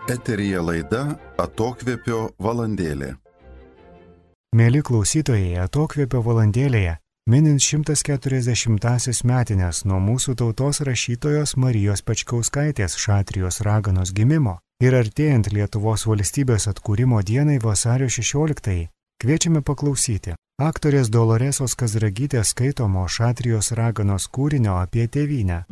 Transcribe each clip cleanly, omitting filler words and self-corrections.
Eteryje laida Atokvėpio valandėlė. Mėly klausytojai, Atokvėpio valandėlėje, minint 140-asias metines nuo mūsų tautos rašytojos Marijos Pečkauskaitės Šatrijos raganos gimimo ir artėjant Lietuvos valstybės atkūrimo dienai vasario 16-ąjį, kviečiame paklausyti aktorės Doloresos Kazragytės skaitomo Šatrijos raganos kūrinio apie tėvynę.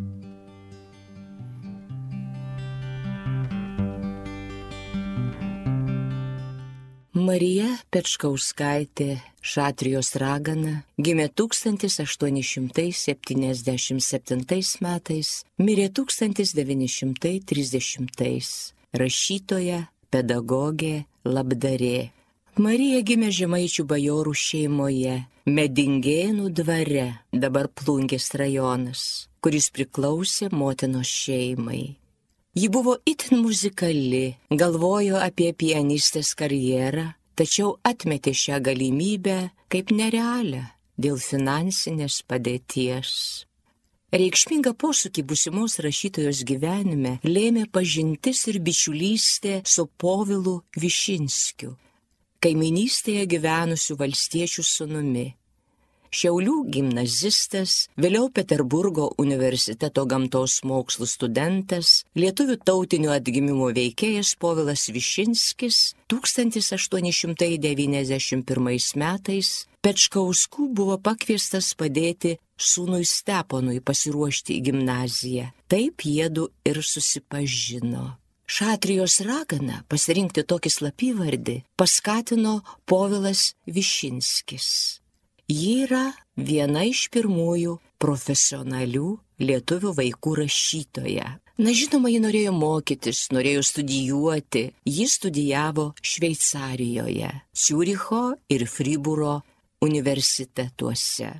Marija Pečkauskaitė Šatrijos ragana gimė 1877 metais, mirė 1930. Rašytoja, pedagogė, labdarė. Marija gimė žemaičių bajorų šeimoje, Medingėnų dvare, dabar Plungės rajonas, kuris priklausė motinos šeimai. Ji buvo itin muzikali, galvojo apie pianistės karjerą, tačiau atmetė šią galimybę kaip nerealią dėl finansinės padėties. Reikšmingą posūkį būsimos rašytojos gyvenime lėmė pažintis ir bičiulystė su Povilu Višinskiu, kaimynystėje gyvenusių valstiečių sūnumi. Šiaulių gimnazistas, vėliau Peterburgo universiteto gamtos mokslų studentas, lietuvių tautinio atgimimo veikėjas Povilas Višinskis 1891 metais Pečkauskų buvo pakviestas padėti sūnui Steponui pasiruošti į gimnaziją. Taip jiedu ir susipažino. Šatrijos ragana pasirinkti tokį slapyvardį paskatino Povilas Višinskis. Ji yra viena iš pirmųjų profesionalių lietuvių vaikų rašytoja. Žinoma, ji norėjo mokytis, norėjo studijuoti. Ji studijavo Šveicarijoje, Ciuricho ir Fribūro universitetuose.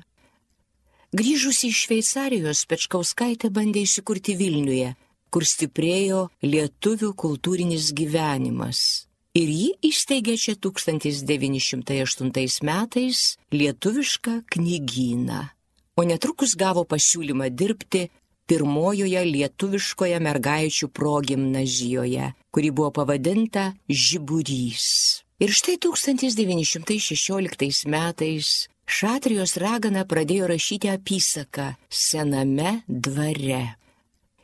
Grįžusi iš Šveicarijos, Pečkauskaitė bandė įsikurti Vilniuje, kur stiprėjo lietuvių kultūrinis gyvenimas. Ir ji įsteigė čia 1908 metais lietuvišką knygyną, o netrukus gavo pasiūlymą dirbti pirmojoje lietuviškoje mergaičių progimnazijoje, kuri buvo pavadinta Žiburys. Ir štai 1916 metais Šatrijos ragana pradėjo rašyti apysaką Sename dvare.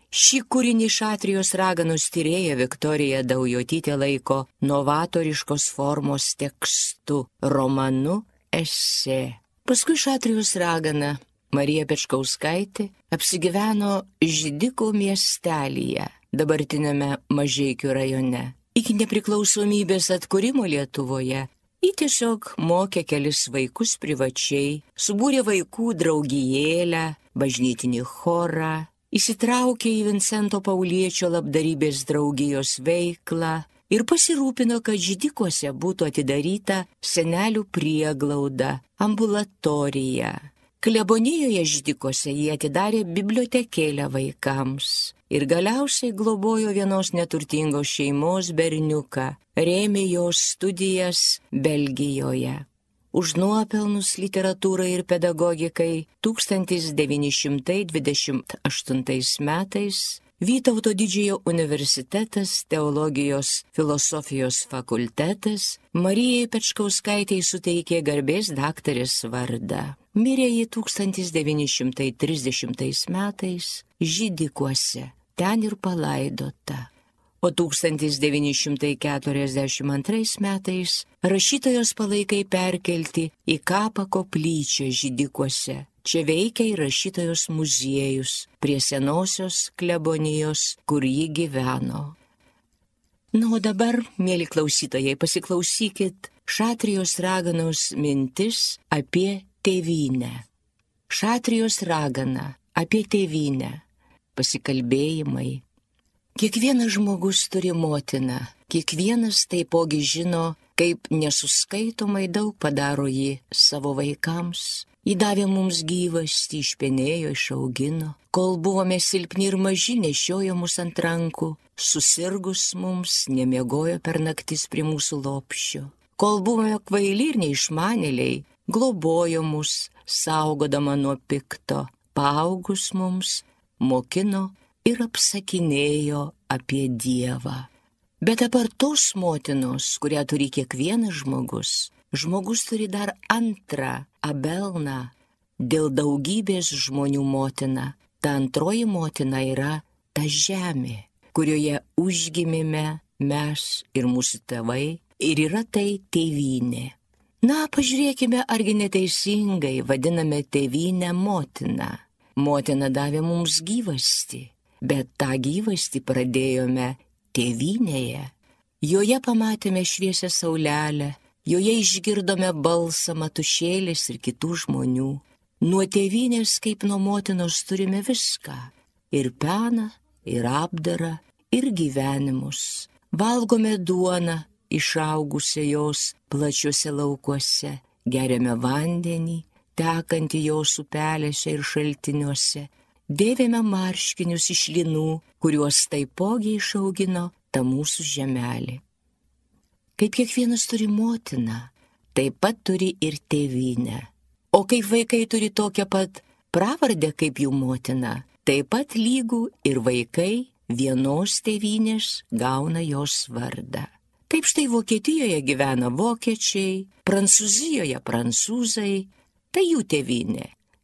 Šį kūrinį Šatrijos raganos tyrėja Viktorija Daujotytė laiko novatoriškos formos tekstu, romanu, esė. Paskui Šatrijos ragana Marija Pečkauskaitė apsigyveno Židikų miestelyje, dabartinėme Mažeikių rajone. Iki nepriklausomybės atkūrimo Lietuvoje ji tiesiog mokė kelis vaikus privačiai, subūrė vaikų draugijėlę, bažnytinį chorą, įsitraukė į Vincento Pauliečio labdarybės draugijos veiklą ir pasirūpino, kad Židikuose būtų atidaryta senelių prieglauda, ambulatorija. Klebonijoje Židikuose jie atidarė bibliotekėlę vaikams ir galiausiai globojo vienos neturtingos šeimos berniuką, rėmė jos studijas Belgijoje. Už nuopelnus literatūrai ir pedagogikai 1928 metais Vytauto Didžiojo universitetas, teologijos filosofijos fakultetas Marijai Pečkauskaitei suteikė garbės daktarės vardą. Mirė ji 1930 metais Židikuose, ten ir palaidota. O 1942 metais rašytojos palaikai perkelti į kapą koplyčią Židikuose. Čia veikia ir rašytojos muziejus prie senosios klebonijos, kur ji gyveno. O dabar, mėly klausytojai, pasiklausykit Šatrijos raganos mintis apie tėvynę. Šatrijos ragana apie tėvynę. Pasikalbėjimai. Kiekvienas žmogus turi motiną, kiekvienas taipogi žino, kaip nesuskaitomai daug padaro ji savo vaikams. Ji davė mums gyvastį, išpenėjo, išaugino, kol buvome silpni ir maži, nešiojo mus ant rankų, susirgus mums, nemiegojo per naktis prie mūsų lopščio. Kol buvome kvaili ir neišmanėliai, globojo mus, saugodama nuo pikto, paaugus mums, mokino ir apsakinėjo apie Dievą. Bet apart tos motinos, kurią turi kiekvienas žmogus turi dar antrą Abelną, dėl daugybės žmonių motina. Ta antroji motina yra ta žemė, kurioje užgimėme mes ir mūsų tėvai, ir yra tai tėvynė. Na, pažiūrėkime, argi neteisingai vadiname tėvynę motiną. Motina davė mums gyvastį, bet tą gyvastį pradėjome tėvynėje. Joje pamatėme šviesią saulelę, joje išgirdome balsą matušėlės ir kitų žmonių. Nuo tėvynės kaip nuo motinos turime viską - ir peną, ir apdarą, ir gyvenimus. Valgome duoną, išaugusią jos plačiuose laukuose, geriame vandenį, tekantį jos upelėse ir šaltiniuose, dėvime marškinius iš linų, kuriuos taipogi išaugino ta mūsų žemelė. Kaip kiekvienas turi motiną, taip pat turi ir tėvynę. O kaip vaikai turi tokią pat pravardę kaip jų motina, taip pat lygų ir vaikai vienos tėvynės gauna jos vardą. Taip štai Vokietijoje gyvena vokiečiai, Prancūzijoje prancūzai, tai jų tėvynė.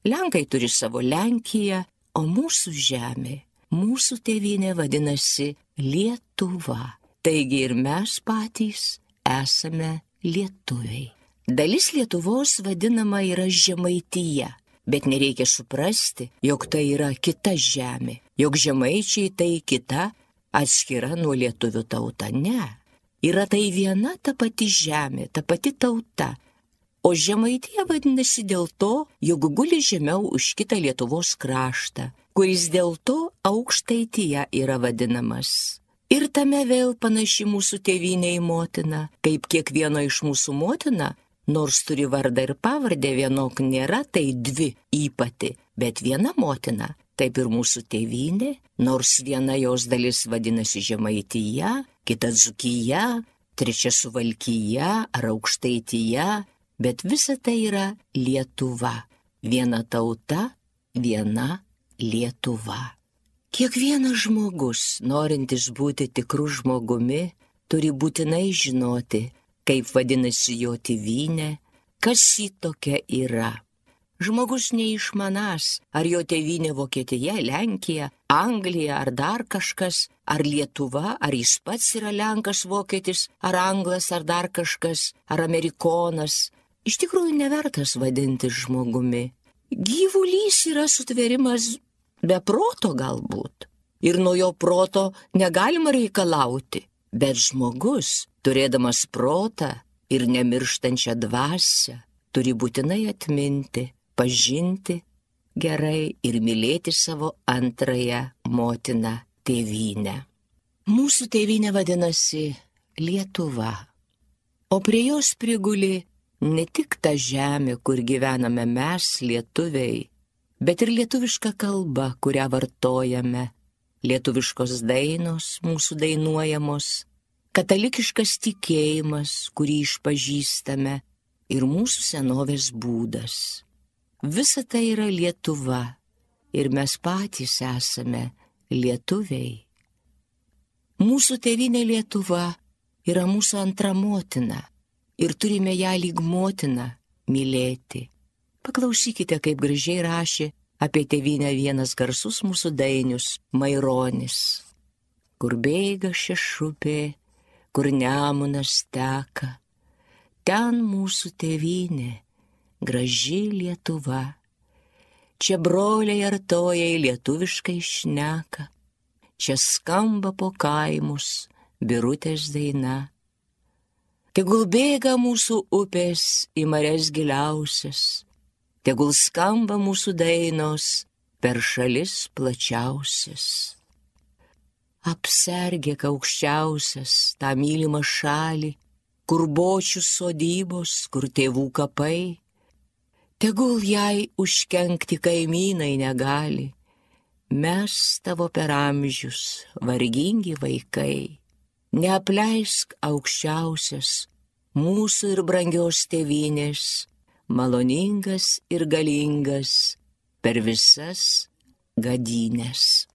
Lenkai turi savo Lenkiją, o mūsų žemė, mūsų tėvynė vadinasi Lietuva. Taigi ir mes patys esame lietuviai. Dalis Lietuvos vadinama yra Žemaitija, bet nereikia suprasti, jog tai yra kita žemė, jog žemaičiai tai kita, atskira nuo lietuvių tauta. Ne. Yra tai viena ta pati žemė, ta pati tauta. O Žemaitija vadinasi dėl to, jog guli žemiau už kitą Lietuvos kraštą, kuris dėl to Aukštaitija yra vadinamas. Ir tame vėl panaši mūsų tėvynė į motiną, kaip kiekvieno iš mūsų motina, nors turi vardą ir pavardę, vienok nėra, tai dvi įpati, bet viena motina, taip ir mūsų tėvynė, nors viena jos dalis vadinasi Žemaitija, kita Dzūkija, trečia Suvalkija ar Aukštaitija, bet visa tai yra Lietuva. Viena tauta, viena Lietuva. Kiekvienas žmogus, norintis būti tikrų žmogumi, turi būtinai žinoti, kaip vadinasi jo tėvynė, kas ji tokia yra. Žmogus neišmanas, ar jo tėvynė Vokietija, Lenkija, Anglija ar dar kažkas, ar Lietuva, ar jis pats yra Lenkas, Vokietis, ar Anglas, ar dar kažkas, ar Amerikonas. Iš tikrųjų nevertas vadinti žmogumi. Gyvulys yra sutvėrimas be proto galbūt, ir nuo jo proto negalima reikalauti, bet žmogus, turėdamas protą ir nemirštančią dvasią, turi būtinai atminti, pažinti gerai ir mylėti savo antrąją motiną tėvynę. Mūsų tėvynė vadinasi Lietuva, o prie jos priguli ne tik ta žemė, kur gyvename mes, lietuviai, bet ir lietuviška kalba, kurią vartojame, lietuviškos dainos mūsų dainuojamos, katalikiškas tikėjimas, kurį išpažįstame, ir mūsų senovės būdas. Visa tai yra Lietuva ir mes patys esame lietuviai. Mūsų tėvynė Lietuva yra mūsų antra motina ir turime ją lyg motiną mylėti. Paklausykite, kaip gražiai rašė apie tėvynę vienas garsus mūsų dainius Maironis. Kur bėga šešupė, kur Nemunas teka, ten mūsų tėvynė, graži Lietuva. Čia broliai artojai lietuviškai šneka, čia skamba po kaimus birutės daina. Tegul bėga mūsų upės į marias giliausias, tegul skamba mūsų dainos per šalis plačiausias. Apsergėk aukščiausias tą mylimą šalį, kur bočių sodybos, kur tėvų kapai. Tegul jai užkenkti kaimynai negali, mes tavo per amžius vargingi vaikai. Neapleisk aukščiausias mūsų ir brangios tėvynės, maloningas ir galingas per visas gadynės.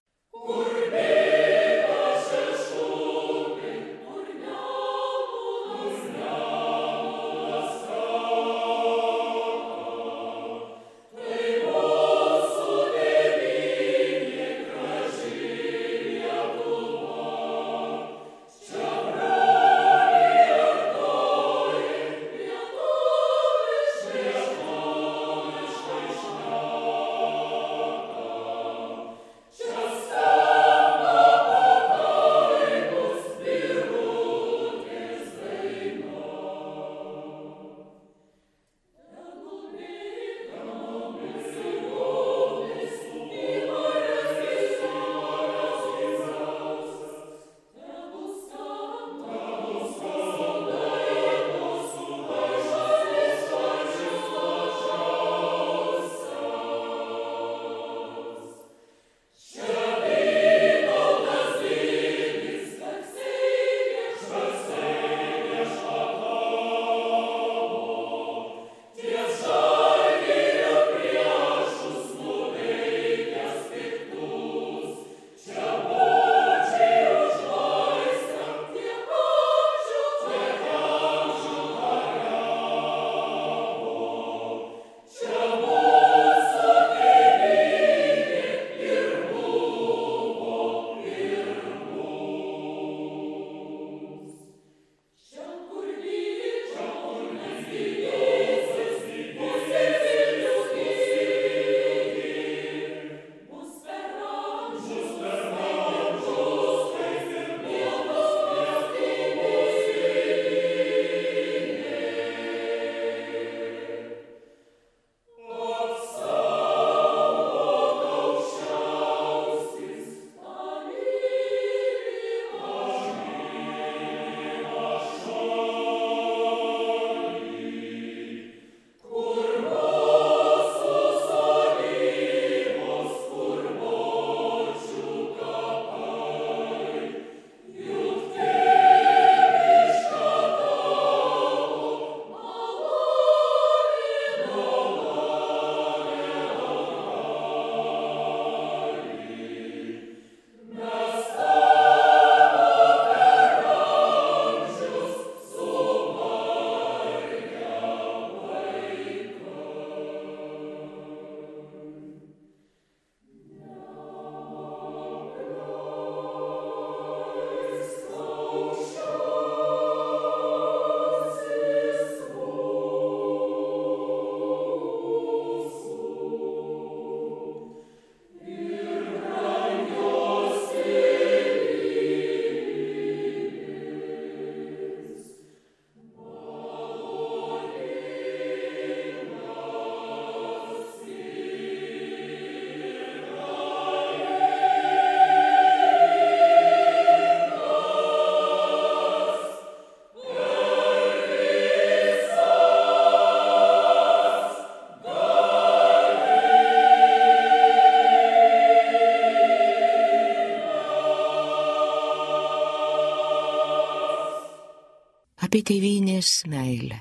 tėvynės meilę.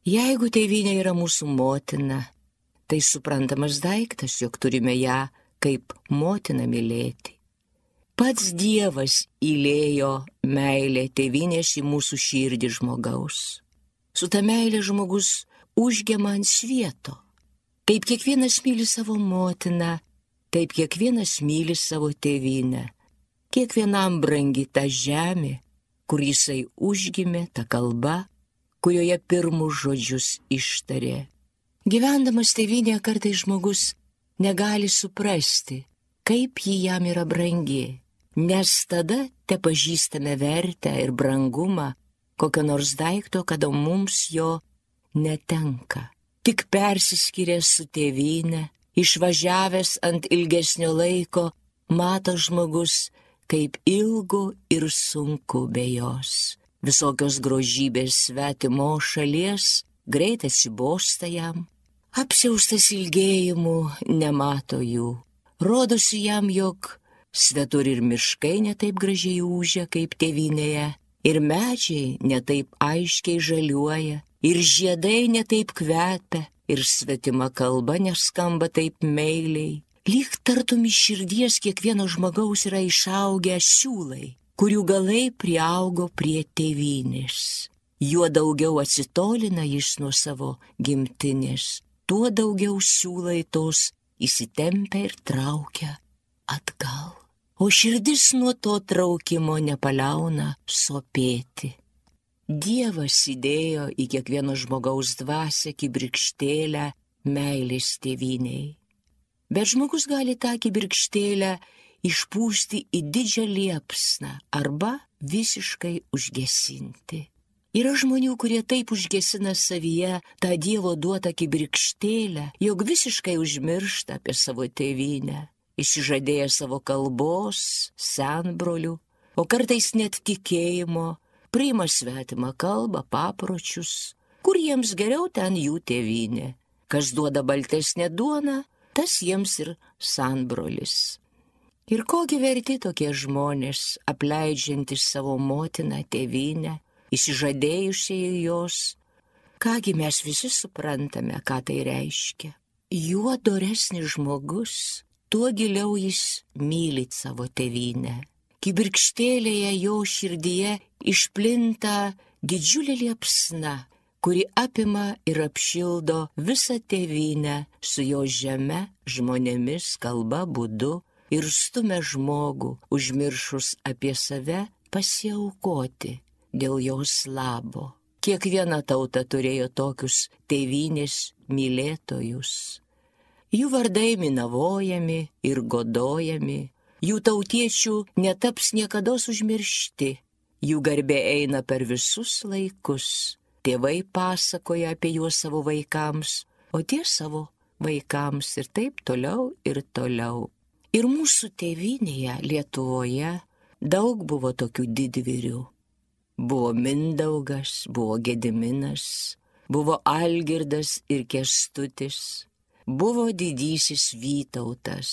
Jeigu tėvynė yra mūsų motina, tai suprantamas daiktas, jog turime ją kaip motiną mylėti. Pats Dievas įlėjo meilę tėvynės į mūsų širdį žmogaus. Su ta meilė žmogus užgema ant svieto. Kaip kiekvienas myli savo motiną, taip kiekvienas myli savo tėvynę. Kiekvienam brangi ta žemė, kur jisai užgimė, ta kalba, kurioje pirmus žodžius ištarė. Gyvendamas tėvynėje kartais žmogus negali suprasti, kaip ji jam yra brangi, nes tada tepažįstame vertę ir brangumą kokio nors daikto, kada mums jo netenka. Tik persiskyręs su tėvynė, išvažiavęs ant ilgesnio laiko, mato žmogus, kaip ilgu ir sunku be jos. Visokios grožybės svetimo šalies greit atsibosta jam. Apsiaustas ilgėjimu nemato jų. Rodosi jam, jog svetur ir miškai netaip gražiai ūžia kaip tėvynėje, ir medžiai netaip aiškiai žaliuoja, ir žiedai netaip kvepia, ir svetima kalba neskamba taip meiliai. Lyg tartum iš širdies kiekvieno žmogaus yra išaugę siūlai, kurių galai priaugo prie tėvynės. Juo daugiau atsitolina jis nuo savo gimtinės, tuo daugiau siūlai tos įsitempia ir traukia atgal. O širdis nuo to traukimo nepaliauna sopėti. Dievas įdėjo į kiekvieno žmogaus dvasią kibirkštėlę meilės tėvynei. Bet žmogus gali tą kibirkštėlę išpūsti į didžią liepsną arba visiškai užgesinti. Yra žmonių, kurie taip užgesina savyje tą Dievo duotą kibirkštėlę, jog visiškai užmiršta apie savo tėvynę, išsižadėję savo kalbos, senbrolių, o kartais net tikėjimo, priima svetimą kalbą, papročius, kur jiems geriau ten jų tėvynė. Kas duoda baltesnę duoną, tas jiems ir senbrolis. Ir kogi verti tokie žmonės, apleidžiantys savo motiną, tėvynę, įsižadėjusiai jos? Kągi mes visi suprantame, ką tai reiškia. Juo doresnis žmogus, tuo giliau jis myli savo tėvynę. Kibirkštėlėje jo širdyje išplinta didžiulė liepsna, kuri apima ir apšildo visą tėvynę su jo žeme, žmonėmis, kalba, būdu, ir stumia žmogų, užmiršus apie save, pasiaukoti dėl jos labo. Kiekviena tauta turėjo tokius tėvynės mylėtojus. Jų vardai minavojami ir godojami, jų tautiečių netaps niekados užmiršti, jų garbė eina per visus laikus. Tėvai pasakoja apie juos savo vaikams, o tie savo vaikams ir taip toliau ir toliau. Ir mūsų tėvynėje Lietuvoje daug buvo tokių didvyrių. Buvo Mindaugas, buvo Gediminas, buvo Algirdas ir Kęstutis, buvo didysis Vytautas.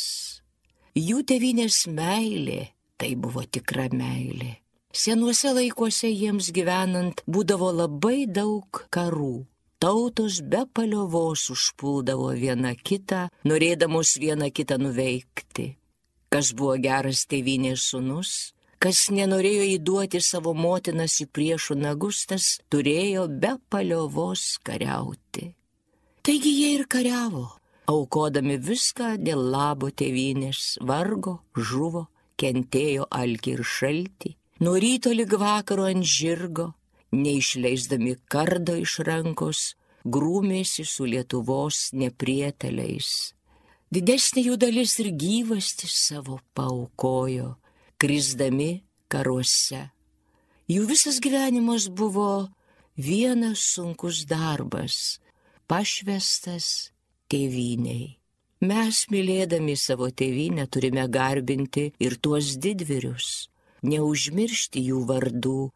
Jų tėvynės meilė tai buvo tikra meilė. Senuose laikuose jiems gyvenant būdavo labai daug karų. Tautos be paliovos užpuldavo viena kitą, norėdamos vieną kitą nuveikti. Kas buvo geras tėvynės sūnus, kas nenorėjo įduoti savo motinas į priešų nagus, tas turėjo be paliovos kariauti. Taigi jie ir kariavo, aukodami viską dėl labo tėvynės, vargo, žuvo, kentėjo alkį ir šaltį, nuo ryto lig vakaro ant žirgo, neišleisdami kardo iš rankos, grūmėsi su Lietuvos neprieteliais. Didesnė jų dalis ir gyvastį savo paaukojo, krisdami karuose. Jų visas gyvenimas buvo vienas sunkus darbas, pašvestas tėvynei. Mes, mylėdami savo tėvynę, turime garbinti ir tuos didvyrius, neužmiršti jų vardų,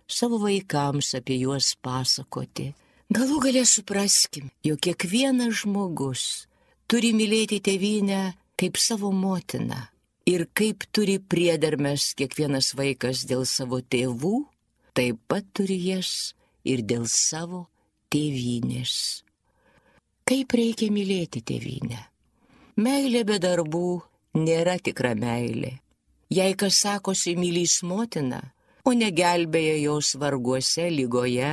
savo vaikams apie juos pasakoti. Galų gale supraskim, jog kiekvienas žmogus turi mylėti tėvynę kaip savo motiną ir kaip turi priedermes kiekvienas vaikas dėl savo tėvų, taip pat turi jas ir dėl savo tėvynės. Kaip reikia mylėti tėvynę? Meilė be darbų nėra tikra meilė. Jei kas sakosi mylys motiną, o negelbėja jos varguose, lygoje,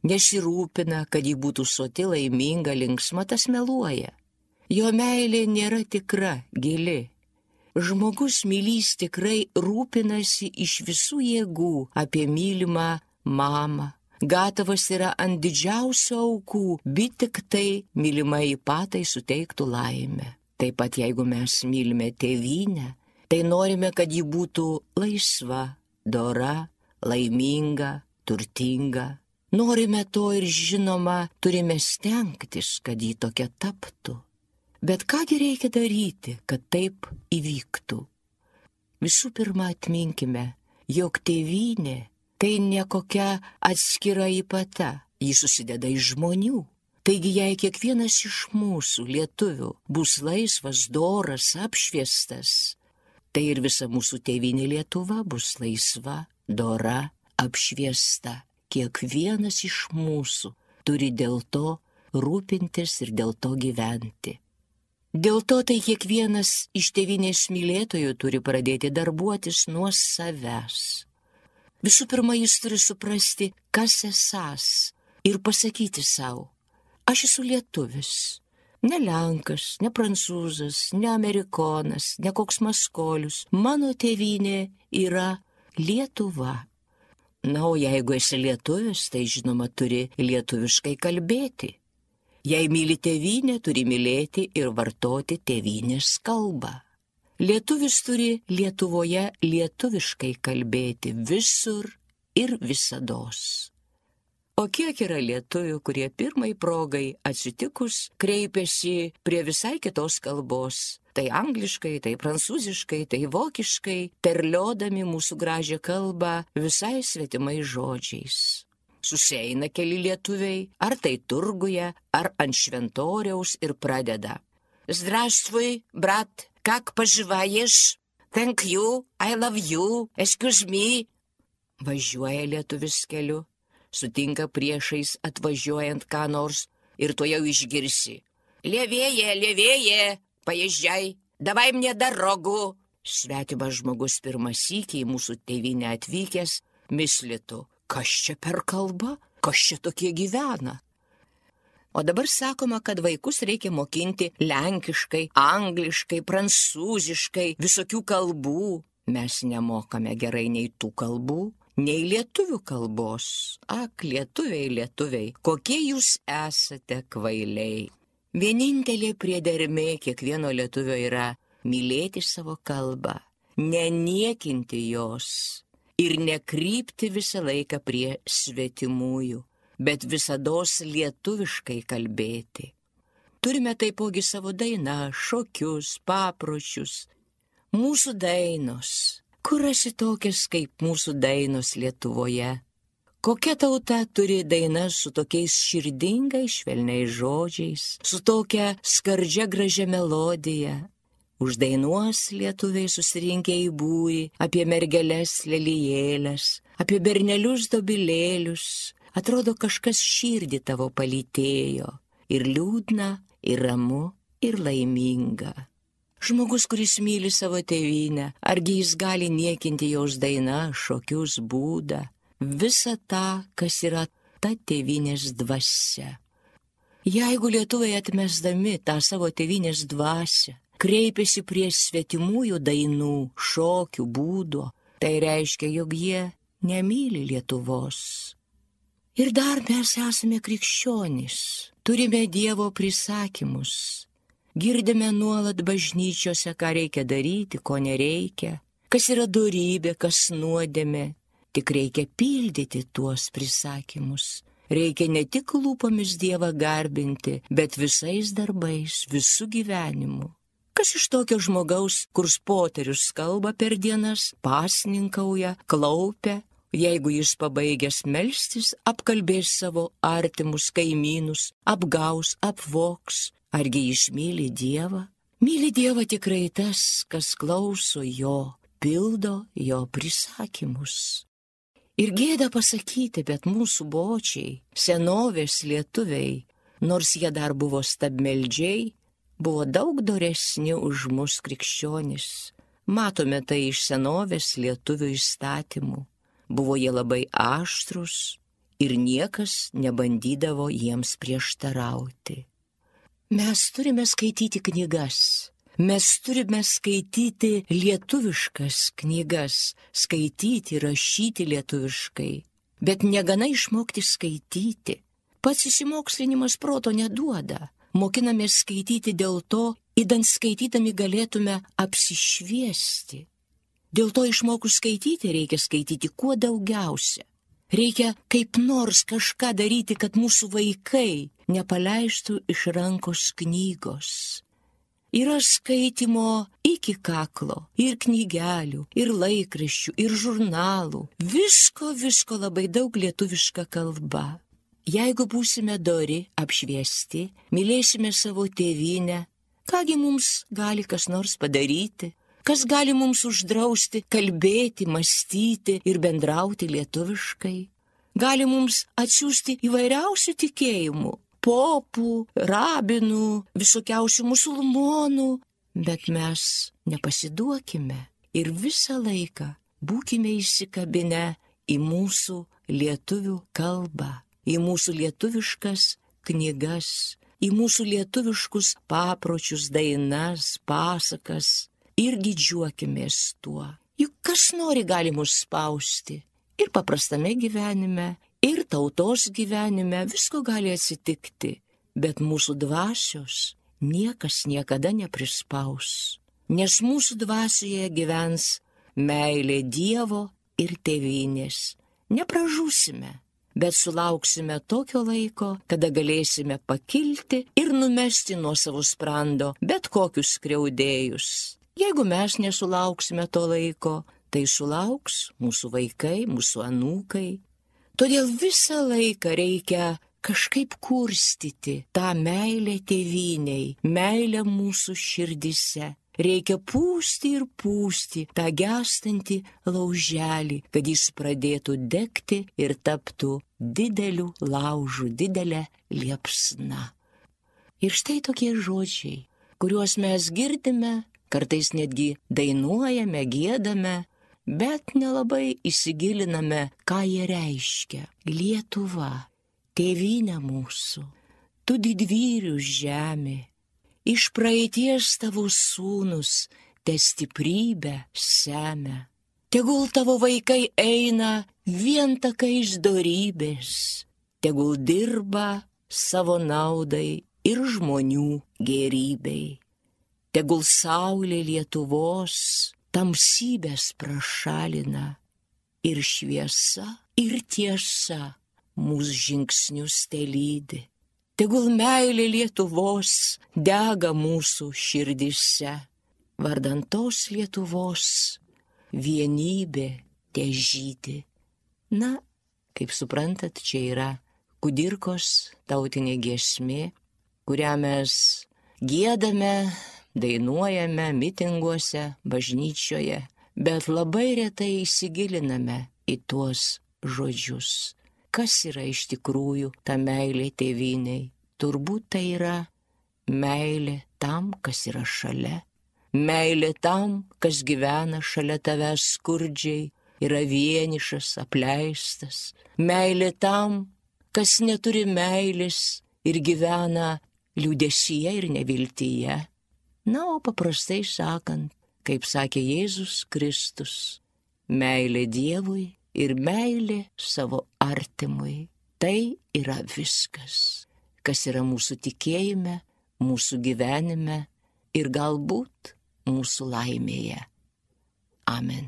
nesirūpina, kad ji būtų soti, laiminga, linksma, tas meluoja. Jo meilė nėra tikra, gili. Žmogus mylys tikrai rūpinasi iš visų jėgų apie mylimą mamą. Gatavas yra ant didžiausio aukų, bet tik tai mylimai patai suteiktų laimę. Taip pat jeigu mes mylime tėvynę, tai norime, kad ji būtų laisva, dora, laiminga, turtinga. Norime to ir žinoma, turime stengtis, kad ji tokia taptų. Bet kągi reikia daryti, kad taip įvyktų? Visų pirma, atminkime, jog tėvynė tai ne kokia atskira ypata, ji susideda iš žmonių. Taigi, jei kiekvienas iš mūsų lietuvių bus laisvas, doras, apšviestas, tai ir visa mūsų tėvynė Lietuva bus laisva, dora, apšviesta. Kiekvienas iš mūsų turi dėl to rūpintis ir dėl to gyventi. Dėl to tai kiekvienas iš tėvynės mylėtojų turi pradėti darbuotis nuo savęs. Visų pirma, jis turi suprasti, kas esąs ir pasakyti savo, aš esu lietuvis, ne lenkas, ne prancūzas, ne amerikonas, ne koks maskolius, mano tėvynė yra Lietuva. Na, o jeigu esi lietuvis, tai žinoma turi lietuviškai kalbėti. Jei myli tėvynę, turi mylėti ir vartoti tėvynės kalbą. Lietuvis turi Lietuvoje lietuviškai kalbėti visur ir visados. O kiek yra lietuvių, kurie pirmai progai atsitikus kreipiasi prie visai kitos kalbos. Tai angliškai, tai prancūziškai, tai vokiškai, terliodami mūsų gražią kalbą visai svetimais žodžiais. Susieina keli lietuviai, ar tai turguje, ar ant šventoriaus ir pradeda. Zdraštvui, brat, kak paživaješ? Thank you, I love you, excuse me. Važiuoja lietuvis keliu, sutinka priešais atvažiuojant ką nors ir to jau išgirsi. Lėvėje, paježdžiai, davai мне дорогу. Svetimas žmogus pirmą sykį į mūsų tėvynę atvykęs mislitų. Kas čia per kalba? Kas čia tokie gyvena? O dabar sakoma, kad vaikus reikia mokinti lenkiškai, angliškai, prancūziškai, visokių kalbų. Mes nemokame gerai nei tų kalbų, nei lietuvių kalbos. Ak, lietuviai, kokie jūs esate kvailiai. Vienintelė priedermė kiekvieno lietuvio yra mylėti savo kalbą, neniekinti jos. Ir nekrypti visą laiką prie svetimųjų, bet visados lietuviškai kalbėti. Turime taipogi savo dainą, šokius, papročius. Mūsų dainos. Kur rasi tokias kaip mūsų dainos Lietuvoje? Kokia tauta turi dainas su tokiais širdingais, švelniais žodžiais, su tokia skardžia gražia melodija? Uždainuos lietuviai susirinkę į būrį apie mergeles lelijėlės, apie bernelius dobilėlius. Atrodo, kažkas širdį tavo palytėjo, ir liūdna, ir ramu, ir laiminga. Žmogus, kuris myli savo tėvynę, argi jis gali niekinti jos dainą, šokius, būdą, visą tą, kas yra ta tėvynės dvasia. Jeigu lietuviai atmesdami tą savo tėvynės dvasią, kreipiasi prie svetimųjų dainų, šokių, būdo, tai reiškia, jog jie nemyli Lietuvos. Ir dar mes esame krikščionys, turime Dievo prisakymus, girdime nuolat bažnyčiose, ką reikia daryti, ko nereikia, kas yra dorybė, kas nuodėmė, tik reikia pildyti tuos prisakymus. Reikia ne tik lūpomis Dievą garbinti, bet visais darbais, visų gyvenimu. Kas iš tokio žmogaus, kurs poterius kalba per dienas, pasninkauja, klaupia, jeigu jis pabaigęs melstis, apkalbės savo artimus kaimynus, apgaus, apvoks, argi jis myli Dievą? Myli Dievą tikrai tas, kas klauso jo, pildo jo prisakymus. Ir gėda pasakyti, bet mūsų bočiai, senovės lietuviai, nors jie dar buvo stabmeldžiai, buvo daug doresni už mus krikščionis. Matome tai iš senovės lietuvių įstatymų. Buvo jie labai aštrus ir niekas nebandydavo jiems prieštarauti. Mes turime skaityti knygas. Mes turime skaityti lietuviškas knygas, skaityti, rašyti lietuviškai. Bet negana išmokti skaityti. Pats įsimokslinimas proto neduoda. Mokinamės skaityti dėl to, idant skaitydami galėtume apsišviesti. Dėl to išmokus skaityti reikia skaityti kuo daugiausia. Reikia kaip nors kažką daryti, kad mūsų vaikai nepaleistų iš rankos knygos. Yra skaitimo iki kaklo, ir knygelių, ir laikraščių, ir žurnalų. Visko labai daug lietuviška kalba. Jeigu būsime dori, apšviesti, mylėsime savo tėvynę, kągi mums gali kas nors padaryti, kas gali mums uždrausti kalbėti, mąstyti ir bendrauti lietuviškai. Gali mums atsiųsti įvairiausių tikėjimų, popų, rabinų, visokiausių musulmonų, bet mes nepasiduokime ir visą laiką būkime įsikabinę į mūsų lietuvių kalbą, į mūsų lietuviškas knygas, į mūsų lietuviškus papročius, dainas, pasakas ir didžiuokimės tuo. Juk kas nori gali mus spausti ir paprastame gyvenime, ir tautos gyvenime visko gali atsitikti, bet mūsų dvasios niekas niekada neprispaus, nes mūsų dvasioje gyvens meilė Dievo ir tėvynės. Nepražūsime, bet sulauksime tokio laiko, kada galėsime pakilti ir numesti nuo savo sprando bet kokius skriaudėjus. Jeigu mes nesulauksime to laiko, tai sulauks mūsų vaikai, mūsų anūkai. Todėl visą laiką reikia kažkaip kurstyti tą meilę tėvyniai, meilę mūsų širdise. Reikia pūsti ir pūsti tą gestantį lauželį, kad jis pradėtų degti ir taptų dideliu laužu, didelė liepsna. Ir štai tokie žodžiai, kuriuos mes girdime, kartais netgi dainuojame, giedame, bet nelabai įsigiliname, ką jie reiškia. Lietuva, tėvynė mūsų, tu didvyrius žemė, iš praeities tavo sūnus te stiprybę semia. Tegul tavo vaikai eina vien takais dorybės, tegul dirba savo naudai ir žmonių gerybei. Tegul saulė Lietuvos tamsybės prašalina ir šviesa, ir tiesa mūsų žingsnius telydi. Tegul meilė Lietuvos dega mūsų širdise, vardan tos Lietuvos vienybė težydi. Na, kaip suprantat, čia yra kudirkos tautinė giesmė, kurią mes giedame, dainuojame mitinguose, bažnyčioje, bet labai retai įsigiliname į tuos žodžius. Kas yra iš tikrųjų ta meilė tėvyniai? Turbūt tai yra meilė tam, kas yra šalia. Meilė tam, kas gyvena šalia tavęs skurdžiai, yra vienišas, apleistas. Meilė tam, kas neturi meilės ir gyvena liūdesyje ir neviltyje. Na, o paprastai sakant, kaip sakė Jėzus Kristus, meilė Dievui ir meilė savo artimui. Tai yra viskas, kas yra mūsų tikėjime, mūsų gyvenime ir galbūt mūsų laimėje. Amen.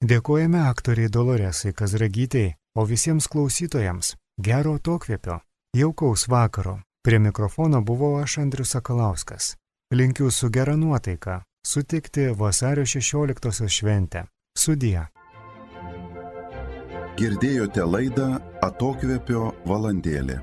Dėkojame aktoriai Doloresai Kazragytei, o visiems klausytojams gero atokvėpio, jaukaus vakaro. Prie mikrofono buvau aš, Andrius Sakalauskas. Linkiu su gera nuotaika sutikti vasario 16-osios šventę. Sudie. Girdėjote laidą Atokvėpio valandėlė.